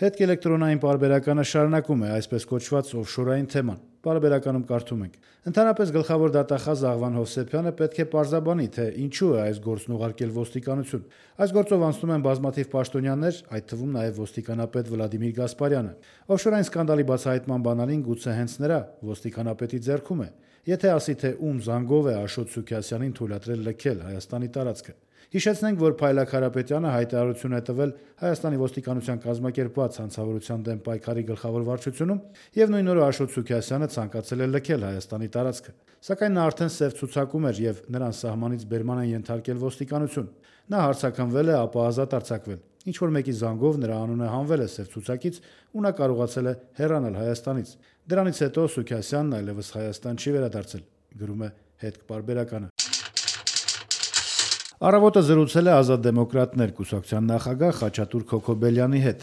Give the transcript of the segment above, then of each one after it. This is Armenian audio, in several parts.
Հետք-էլեկտրոնային պարբերականը շարունակում է այսպես կոչված օֆշորային թեման։ Պարբերականում կարդում ենք. Ընդհանրապես գլխավոր դատախազ Աղվան Հովսեփյանը պետք է պարզաբանի, թե ինչու է այս գործն ուղարկել ոստիկանություն։ Այս գործով անցնում են բազմաթիվ պաշտոնյաներ, այդ թվում նաև ոստիկանապետ Վլադիմիր Գասպարյանը։ Օֆշորային սկանդալի բացահայտման բանալին գուցե հենց նրա ոստիկանապետի ձեռքում է։ Եթե ասի, թե ում զանգով է Աշոտ Սուքիասյանին թույլատրել լքել Հայաստանի տարածքը։ Հիշեցնենք, որ Փայլակ Հարապետյանը հայտարարություն է տվել Հայաստանի ոստիկանության կազմակերպված հանցավորության դեմ պայքարի գլխավոր վարչությունում եւ նույն օրը Աշոտ Սուքիասյանը ցանկացել է լքել Հայաստանի տարածքը։ Սակայն նա արդեն սև ցուցակում էր եւ նրան սահմանից բերման են ենթարկել ոստիկանություն։ Նա հարցաքննվել է, ապա ազատ արձակվել։ Ինչ որ մեկի զանգով նրա անունը հանվել է սև ցուցակից ու նա կարողացել է հեռանալ Հայաստանից։ Դրանից հետո Սուքիասյանն այլևս Հայաստան չի վերադարձել, գրում է Հետք պարբերականը։ Առավոտը զրուցել է Ազատ դեմոկրատներ կուսակցության նախագահ Խաչատուր Քոքոբելյանի հետ։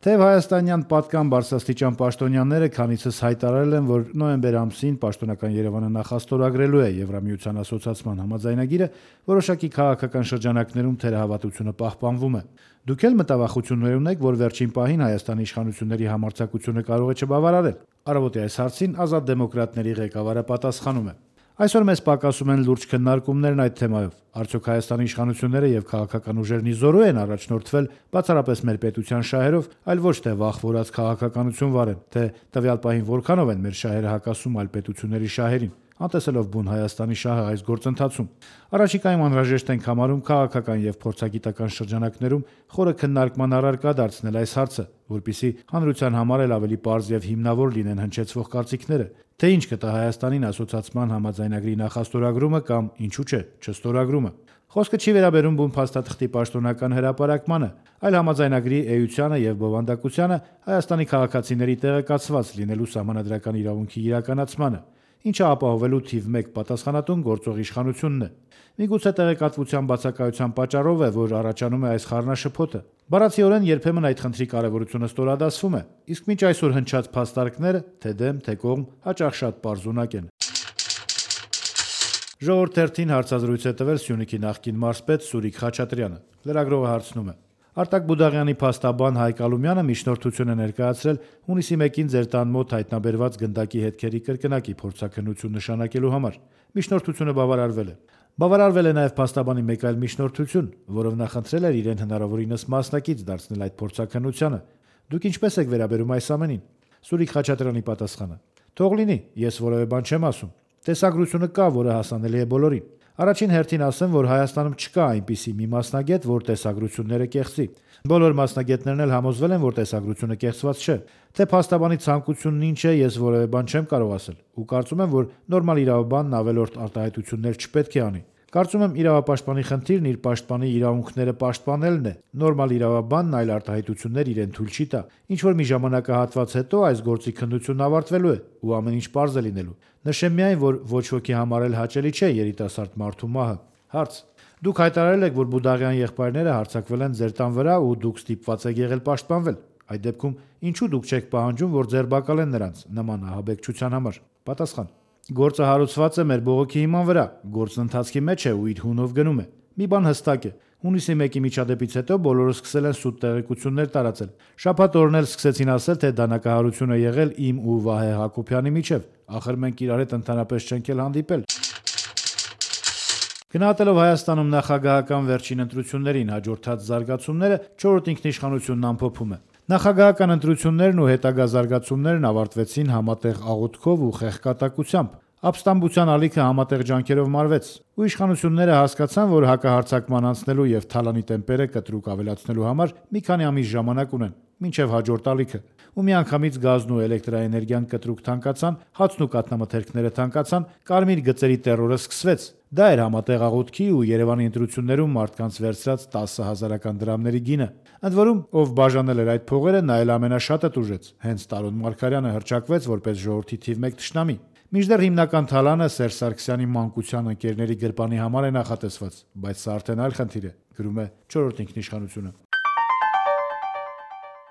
Թեև հայաստանյան պատկան բարձրաստիճան պաշտոնյաները քանիցս հայտարարել են, որ նոյեմբեր ամսին պաշտոնական Երևանը նախաստորագրելու է Եվրամիության ասոցիացման համաձայնագիրը, որոշակի քաղաքական շրջանակներում թերահավատությունը պահպանվում է։ Դուք էլ մտավախություններ ունեք, որ վերջին պահին Հայաստանի իշխանությունների համարձակությունը կարող է չբավարարել։ Առավոտի այս հարցին Ազատ դեմոկրատների ղեկավարը պատասխանում է. Այսօր մեզ պակասում են լուրջ քննարկումներն այդ թեմայով։ Արդյոք Հայաստանի իշխանությունները եւ քաղաքական ուժերն իզորու են առաջնորդվել բացառապես մեր պետության շահերով, այլ ոչ թե վախվորած քաղաքականություն վարեն, թե տվյալ պահին որքանով են մեր շահերը հակասում այլ պետությունների շահերին, անտեսելով բուն Հայաստանի շահը այս գործընթացում։ Առաջիկայում անհրաժեշտ ենք համարում քաղաքական եւ փորձագիտական շրջանակներում խորը քննարկման առարկա դարձնել այս հարցը, որպիսի հանրության համար էլ ավելի պարզ եւ հիմնավոր լինեն հնչեցվող կարծիքները, թե ինչ կտա Հայաստանին ասոցիացման համաձայնագրի նախաստորագրումը կամ ինչու՞ չէ, չստորագրումը։ Խոսքը չի վերաբերում բուն փաստաթղթի պաշտոնական հրապարակմանը, այլ համաձայնագրի էությանը եւ բովանդակությանը Հայաստանի քաղաքացիների տեղեկացված լինելու սահմանադրական իրավունքի իրականացմանը, ինչը ապահովելու թիվ 1 պատասխանատուն գործող իշխանությունն է։ Միգուցե տեղեկատվության բացակայության պատճառով է, որ առաջանում է այս խառնաշփոթը։ Բառացիորեն երբեմն այդ խնդրի կարևորությունը ստորադասվում է, իսկ մինչ այսօր հնչած փաստարկները, թե դեմ, թե կողմ, հաճախ շատ պարզունակ են։ Ժողովուրդ թերթին հարցազրույց է տվել Սյունիքի նախկին մարզպետ Սուրիկ Խաչատրյանը։ Լրագրողը հարցնում է. Արտակ Բուդաղյանի փաստաբան Հայկ Ալումյանը միջնորդություն է ներկայացրել հունիսի 1-ին ձեր տան մոտ հայտնաբերված գնդակի հետքերի կրկնակի փորձաքննություն նշանակելու համար։ Միջնորդությունը բավարարվել է։ Բավարարվել է նաև փաստաբանի մեկ այլ միջնորդություն, որով նա խնդրել էր իրեն հնարավորինս մասնակից դարձնել այդ փորձաքննությանը։ Դուք ինչպես եք վերաբերում այս ամենին։ Սուրիկ Խաչատրյանի պատասխանը. Թող լինի, ես որևէ բան չեմ ասում։ Տեսագրությունը կա, որը հասանելի է բոլորին։ Առաջին հերթին ասեմ, որ Հայաստանում չկա այնպիսի մի մասնագետ, որ տեսագրությունները կեղծի։ Բոլոր մասնագետներն էլ համոզվել են, որ տեսագրությունը կեղծված չէ։ Թե փաստաբանի ցանկությունն ինչ է, ես որևէ բան չեմ կարող ասել, ու կարծում եմ, որ նորմալ իրավաբանն ավելորդ արտահայտություններ չպետք է անի։ Կարծում եմ իրավապաշտպանի խնդիրն իր պաշտպանի իրավունքները պաշտպանելն է։ Նորմալ իրավաբանն այլ արտահայտություններ իրեն թույլ չի տա։ Ինչ որ մի ժամանակահատված հետո այս գործի քննությունն ավարտվելու է ու ամեն ինչ պարզ է լինելու։ Նշեմ միայն, որ ոչ ոքի համար էլ հաճելի չէ երիտասարդ մարդու մահը։ Հարց. Դուք հայտարարել եք, որ Բուդաղյան եղբայրները հարձակվել են ձեր տան վրա ու դուք ստիպված եք եղել պաշտպանվել։ Այդ դեպքում ինչու դուք չեք պահանջում, որ ձերբակալեն նրանց նման ահաբեկչության համար։ Պատասխան. Գործը հարուցված է մեր բողոքի հիման վրա, գործն ընթացքի մեջ է ու իր հունով գնում է։ Մի բան հստակ է, հունիսի 1-ի միջադեպից հետո բոլորը սկսել են սուտ տեղեկություններ տարածել։ Շաբաթ օրն էլ սկսեցին ասել, թե դանակահարություն է եղել իմ ու Վահե Հակոբյանի միջև։ Ախր մենք իրար հետ ընդհանրապես չենք էլ հանդիպել։ Գնահատելով Հայաստանում նախագահական վերջին ընտրություններին հաջորդած զարգացումները, 4-րդ ինքնիշխանությունն ամփոփում է. Նախագահական ընտրություններն ու հետագա զարգացումներն ավարտվեցին համատեղ աղոթքով ու խեղկատակությամբ։ Ապստամբության ալիքը համատեղ ջանքերով մարվեց, ու իշխանությունները հասկացան, որ հակահարձակման անցնելու եւ թալանի տեմպերը կտրուկ ավելացնելու համար մի քանի ամիս ժամանակ ունեն, մինչեւ հաջորդ ալիքը։ Ու միանգամից գազն ու էլեկտրաէներգիան կտրուկ թանկացան, հացն ու կաթնամթերքները թանկացան, կարմիր գծերի տեռորը սկսվեց։ Դա էր համատեղ աղոթքի ու Երևանի ընտրություններում մարդկանց վերցրած 10,000-ական դրամների գինը։ Ընդ որում, ով բաժանել էր այդ փողերը, նա էլ ամենաշատը տուժեց։ Հենց Տարոն Մարգարյանը հռչակվեց որպես ժողովրդի թիվ 1 թշնամի։ Մինչդեռ հիմնական թալանը Սերժ Սարգսյանի մանկության ընկերների գրպանի համար է նախատեսված, բայց սա արդեն այլ խնդիր է, գրում է 4-րդ ինքնիշխանությունը։